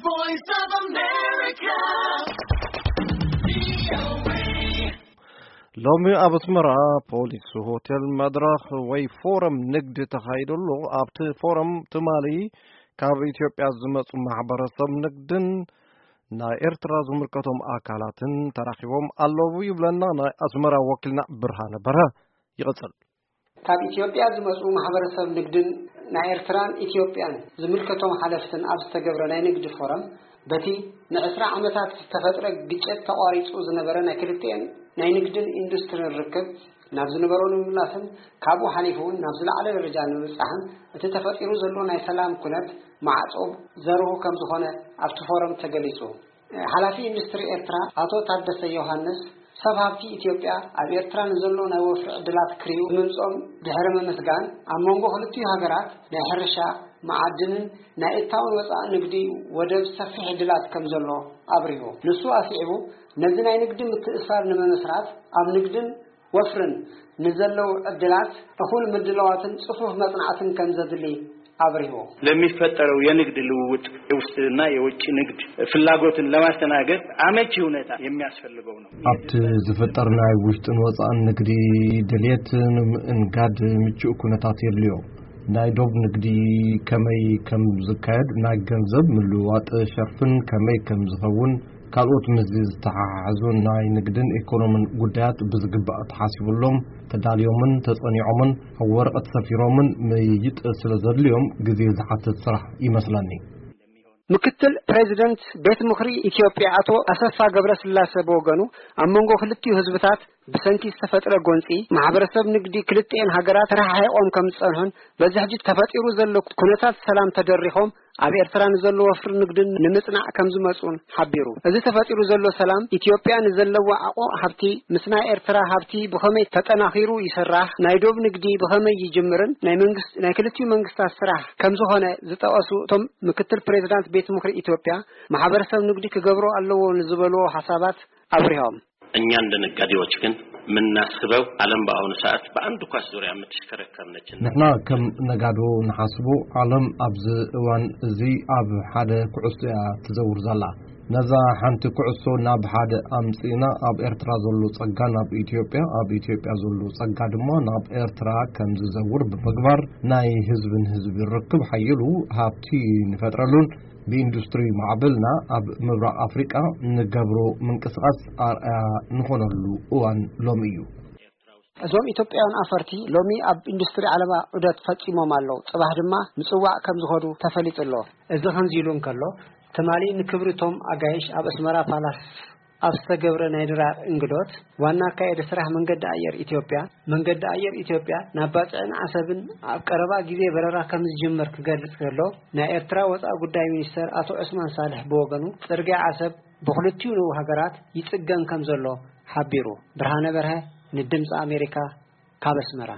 Voice of America. ሎሚ ኣብ ኣስመራ ፖሊስ ሆቴል መድረኽ ወይ ፎረም ንግዲ ተኻይዱ ኣሎ። ኣብቲ ፎረም ትማሊ ካብ ኢትዮጵያ ዝመጹ ማሕበረሰብ ንግድን ናይ ኤርትራ ዝምልከቶም ኣካላትን ተራኺቦም ኣለዉ ይብለና ናይ ኣስመራ ወኪልና ብርሃነ በርሀ። ይቕጽል። ካብ ኢትዮጵያ ዝመጹ ማሕበረሰብ ንግድን ናይ ኤርትራን ኢትዮጵያን ዝምልከቶም ሓለፍትን ኣብ ዝተገብረ ናይ ንግዲ ፎረም፣ በቲ ንዕስራ ዓመታት ዝተፈጥረ ግጭት ተቋሪጹ ዝነበረ ናይ ክልቲኤን ናይ ንግድን ኢንዱስትሪን ርክብ ናብ ዝነበሮ ንምምላስን ካብኡ ሓሊፉ እውን ናብ ዝለዓለ ደረጃ ንምብጻሕን እቲ ተፈጢሩ ዘሎ ናይ ሰላም ኩነት ማዕጾ ዘርሁ ከም ዝኾነ ኣብቲ ፎረም ተገሊጹ። ሓላፊ ኢንዱስትሪ ኤርትራ ኣቶ ታደሰ ዮሃንስ፣ ሰብ ሃብቲ ኢትዮጵያ ኣብ ኤርትራ ንዘሎ ናይ ወፍሪ ዕድላት ክሪኡ ብምምጾም ድሕሪ ምምስጋን፣ ኣብ መንጎ ክልቲኡ ሃገራት ናይ ሕርሻ፣ መዓድንን ናይ እታውን ወጻእን ንግዲ ወደብ ሰፊሕ ዕድላት ከም ዘሎ ኣብሪሁ። ንሱ ኣስዒቡ፣ ነዚ ናይ ንግዲ ምትእስሳር ንምምስራት ኣብ ንግድን ወፍርን ንዘለዉ ዕድላት እኹል ምድላዋትን ጽፉፍ መጽናዕትን ከም ዘድሊ ኣብሪሁ። ለሚፈጠረው የንግድ ልውውጥ የውስጥና የውጭ ንግድ ፍላጎትን ለማስተናገድ አመቺ ሁኔታ የሚያስፈልገው ነው። ኣብቲ ዝፍጠር ናይ ውሽጥን ወፃእን ንግዲ ድልየት ንምእንጋድ ምቹእ ኩነታት የድልዮ። ናይ ዶብ ንግዲ ከመይ ከም ዝካየድ፣ ናይ ገንዘብ ምልውዋጥ ሸርፍን ከመይ ከም ዝኸውን፣ ካልኦት ምስዚ ዝተሓሓዙ ናይ ንግድን ኢኮኖምን ጉዳያት ብዝግባእ ተሓሲቡሎም፣ ተዳልዮምን ተጸኒዖምን፣ ኣብ ወረቐት ሰፊሮምን ምይይጥ ስለ ዘድልዮም ግዜ ዝሓትት ስራሕ ይመስለኒ። ምክትል ፕሬዚደንት ቤት ምኽሪ ኢትዮጵያ ኣቶ ኣሰፋ ገብረስላሴ ብወገኑ፣ ኣብ መንጎ ክልቲኡ ህዝብታት ብሰንኪ ዝተፈጥረ ጎንጺ ማሕበረሰብ ንግዲ ክልቲኤን ሃገራት ተረሓሒቖም ከም ዝጸንሑን በዚ ሕጂ ተፈጢሩ ዘሎ ኩነታት ሰላም ተደሪኾም ኣብ ኤርትራ ንዘሎ ወፍሪ ንግድን ንምጽናዕ ከም ዝመጹን ሓቢሩ። እዚ ተፈጢሩ ዘሎ ሰላም ኢትዮጵያ ንዘለዎ ዓቆ ሃብቲ ምስ ናይ ኤርትራ ሃብቲ ብኸመይ ተጠናኺሩ ይስራሕ፣ ናይ ዶብ ንግዲ ብኸመይ ይጅምርን ናይ መንግስት ናይ ክልቲኡ መንግስታት ስራሕ ከም ዝኾነ ዝጠቐሱ እቶም ምክትል ፕሬዚዳንት ቤት ምኽሪ ኢትዮጵያ፣ ማሕበረሰብ ንግዲ ክገብሮ ኣለዎ ንዝበልዎ ሓሳባት ኣብሪሆም። እኛ እንደ ነጋዴዎች ግን የምናስበው ዓለም በአሁኑ ሰዓት በአንድ ኳስ ዙሪያ የምትሽከረከር ነች። ንሕና ከም ነጋዶ ንሓስቦ፣ ዓለም ኣብዚ እዋን እዚ ኣብ ሓደ ኩዕሶ እያ ትዘውር ዘላ። ነዛ ሓንቲ ኩዕሶ ናብ ሓደ ኣምጺእና፣ ኣብ ኤርትራ ዘሎ ጸጋ ናብ ኢትዮጵያ፣ ኣብ ኢትዮጵያ ዘሎ ጸጋ ድማ ናብ ኤርትራ ከም ዝዘውር ብምግባር፣ ናይ ህዝቢ ንህዝቢ ርክብ ሓይሉ ሃብቲ ንፈጥረሉን ብኢንዱስትሪ ማዕበልና ኣብ ምብራቕ ኣፍሪቃ ንገብሮ ምንቅስቓስ ኣርኣያ ንኾነሉ እዋን ሎሚ እዩ። እዞም ኢትዮጵያውያን ኣፈርቲ ሎሚ ኣብ ኢንዱስትሪ ዓለባ ዑደት ፈጺሞም ኣለዉ። ጽባሕ ድማ ምጽዋዕ ከም ዝኸዱ ተፈሊጡ ኣሎ። እዚ ከምዚ ኢሉ እንከሎ፣ ትማሊ ንክብሪ እቶም ኣጋይሽ ኣብ ኣስመራ ፓላስ ኣብ ዝተገብረ ናይ ድራር እንግዶት፣ ዋና ኣካያዲ ስራሕ መንገዲ ኣየር ኢትዮጵያ፣ መንገዲ ኣየር ኢትዮጵያ ናብ ባጽዕን ዓሰብን ኣብ ቀረባ ግዜ በረራ ከም ዝጅምር ክገልጽ ከሎ፣ ናይ ኤርትራ ወጻኢ ጉዳይ ሚኒስተር ኣቶ ዑስማን ሳልሕ ብወገኑ፣ ጽርግያ ዓሰብ ብኽልቲኡ ንኡ ሃገራት ይጽገን ከም ዘሎ ሓቢሩ። ብርሃነ በርሀ ንድምጺ ኣሜሪካ ካብ ኣስመራ።